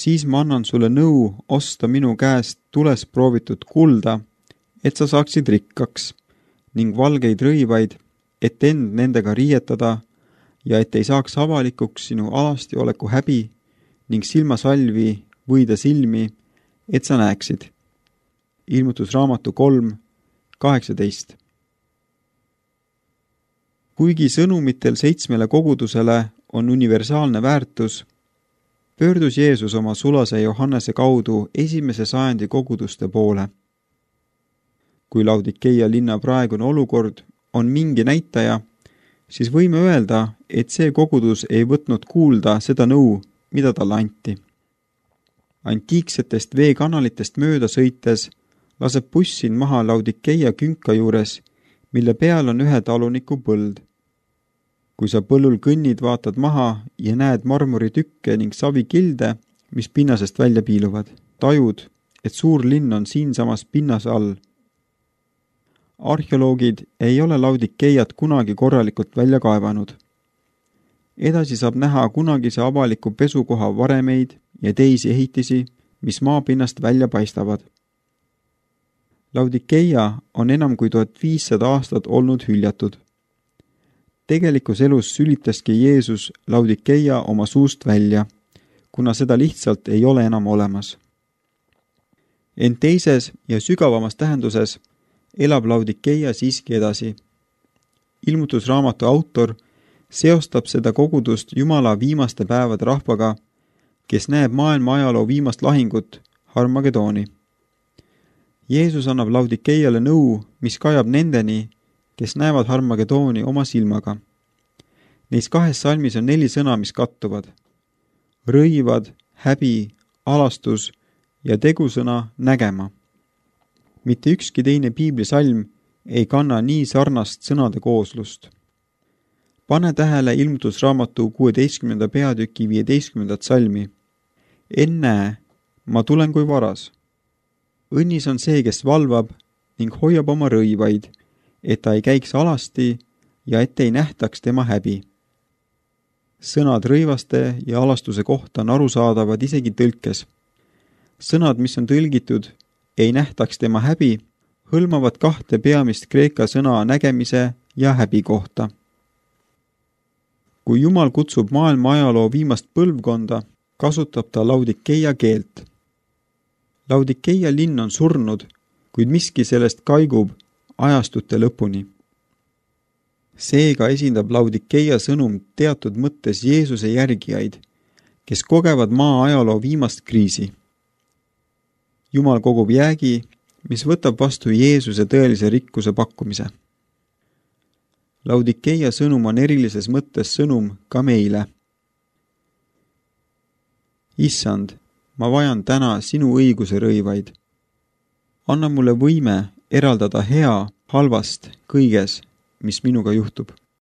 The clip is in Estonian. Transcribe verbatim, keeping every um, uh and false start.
siis ma annan sulle nõu osta minu käest tules proovitud kulda, et sa saaksid rikkaks, ning valgeid rõivaid, et end nendega riietada ja et ei saaks avalikuks sinu alasti oleku häbi ning silmasalvi võida silmi, et sa näeksid. Ilmutusraamatu kolm, kaheksateist. Kuigi sõnumitel seitsmele kogudusele on universaalne väärtus, pöördus Jeesus oma sulase Johannese kaudu esimese sajandi koguduste poole. Kui Laudikeia linna praegune olukord on mingi näitaja, siis võime öelda, et see kogudus ei võtnud kuulda seda nõu, mida talle anti. Antiiksetest veekanalitest mööda sõites laseb buss sind maha Laudikeia künka juures, mille peal on ühe taluniku põld. Kui sa põllul kõnnid, vaatad maha ja näed marmoritükke ning savikilde, mis pinnasest välja piiluvad, tajud, et suur linn on siinsamas pinnase all. Arheoloogid ei ole Laudikeiat kunagi korralikult välja kaevanud. Edasi saab näha kunagise avaliku pesukoha varemeid ja teisi ehitisi, mis maapinnast välja paistavad. Laudikeia on enam kui tuhat viissada aastat olnud hüljatud. Tegelikus elus sülitaski Jeesus Laudikeia oma suust välja, kuna seda lihtsalt ei ole enam olemas. Ent teises ja sügavamas tähenduses elab Laudikeia siiski edasi. Ilmutusraamatu autor seostab seda kogudust Jumala viimaste päevade rahvaga, kes näeb maailma ajaloo viimast lahingut, Harmagedooni. Jeesus annab Laudikeiale nõu, mis kajab nendeni, kes näevad Harmagedooni oma silmaga. Neis kahes salmis on neli sõna, mis kattuvad. Rõivad, häbi, alastus ja tegusõna nägema. Mitte ükski teine piiblisalm ei kanna nii sarnast sõnade kooslust. Pane tähele ilmutusraamatu kuueteistkümnenda peatüki viieteistkümnendat salmi. Ennäe, ma tulen kui varas. Õnnis on see, kes valvab ning hoiab oma rõivaid, et ta ei käiks alasti ja et ei nähtaks tema häbi. Sõnad rõivaste ja alastuse kohta on arusaadavad isegi tõlkes. Sõnad, mis on tõlgitud, ei nähtaks tema häbi, hõlmavad kahte peamist kreeka sõna nägemise ja häbi kohta. Kui Jumal kutsub maailma ajaloo viimast põlvkonda, kasutab ta Laudikeia keelt. Laudikeia linn on surnud, kuid miski sellest kaigub ajastute lõpuni. Seega esindab Laudikeia sõnum teatud mõttes Jeesuse järgijaid, kes kogevad maa ajaloo viimast kriisi. Jumal kogub jäägi, mis võtab vastu Jeesuse tõelise rikkuse pakkumise. Laudikeia sõnum on erilises mõttes sõnum ka meile. Issand, ma vajan täna sinu õiguse rõivaid. Anna mulle võime eraldada hea halvast kõiges, mis minuga juhtub.